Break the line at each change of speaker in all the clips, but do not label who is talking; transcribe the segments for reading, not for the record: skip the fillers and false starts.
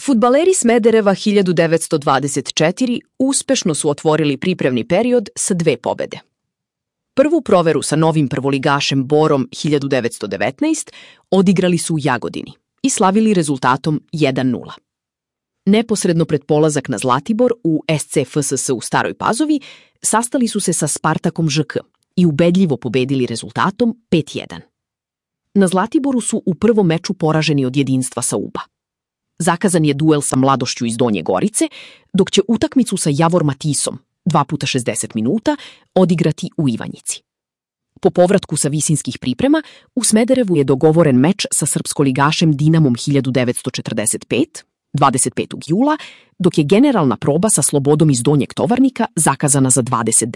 Fudbaleri Smedereva 1924 uspešno su otvorili pripremni period sa 2 pobede. Prvu proveru sa novim prvoligašem Borom 1919 odigrali su u Jagodini i slavili rezultatom 1:0. Neposredno pred polazak na Zlatibor u SC FSS u Staroj Pazovi sastali su se sa Spartakom ŽK i ubedljivo pobedili rezultatom 5:1. Na Zlatiboru su u prvom meču poraženi od Jedinstva sa Uba. Zakazan je duel sa Mladošću iz Donje Gorice, dok će utakmicu sa Javor Matisom 2x60 minuta odigrati u Ivanjici. Po povratku sa visinskih priprema, u Smederevu je dogovoren meč sa srpskoligašem Dinamom 1945, 25. jula, dok je generalna proba sa Slobodom iz Donjeg Tovarnika zakazana za 29.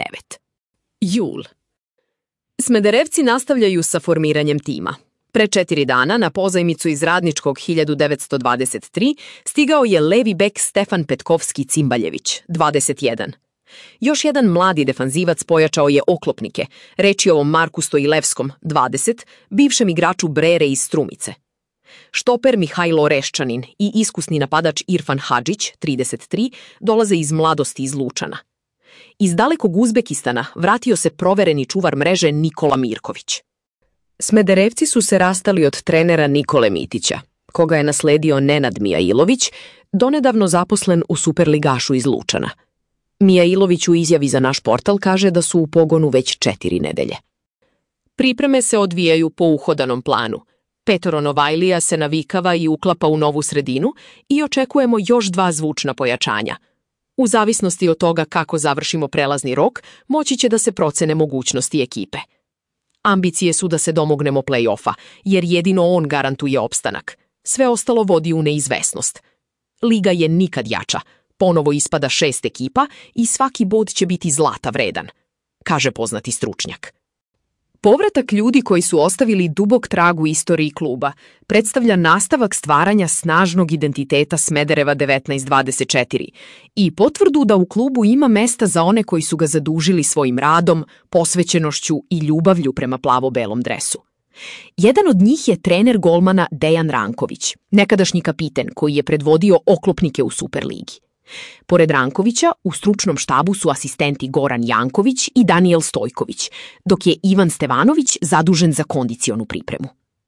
jul. Smederevci nastavljaju sa formiranjem tima. Pre 4 dana na pozajmicu iz Radničkog 1923 stigao je levi bek Stefan Petkovski-Cimbaljević, 21. Još jedan mladi defanzivac pojačao je oklopnike, reč je o Marku Stojilevskom, 20, bivšem igraču Brere iz Strumice. Štoper Mihajlo Reščanin i iskusni napadač Irfan Hadžić, 33, dolaze iz mladosti iz Lučana. Iz dalekog Uzbekistana vratio se provereni čuvar mreže Nikola Mirković. Smederevci su se rastali od trenera Nikole Mitića, koga je nasledio Nenad Mijailović, donedavno zaposlen u Superligašu iz Lučana. Mijailović u izjavi za naš portal kaže da su u pogonu već 4 nedelje. Pripreme se odvijaju po uhodanom planu. Petoro Novajlija se navikava i uklapa u novu sredinu i očekujemo još 2 zvučna pojačanja. U zavisnosti od toga kako završimo prelazni rok, moći će da se procene mogućnosti ekipe. Ambicije su da se domognemo play-offa, jer jedino on garantuje opstanak. Sve ostalo vodi u neizvesnost. Liga je nikad jača. Ponovo ispada 6 ekipa i svaki bod će biti zlata vredan, kaže poznati stručnjak. Povratak ljudi koji su ostavili dubok trag u istoriji kluba predstavlja nastavak stvaranja snažnog identiteta Smedereva 1924 i potvrdu da u klubu ima mesta za one koji su ga zadužili svojim radom, posvećenošću i ljubavlju prema plavo-belom dresu. Jedan od njih je trener golmana Dejan Ranković, nekadašnji kapiten koji je predvodio oklopnike u Superligi. Pored Rankovića, u stručnom štabu su asistenti Goran Janković i Danijel Stojković, dok je Ivan Stevanović zadužen za kondicionu pripremu.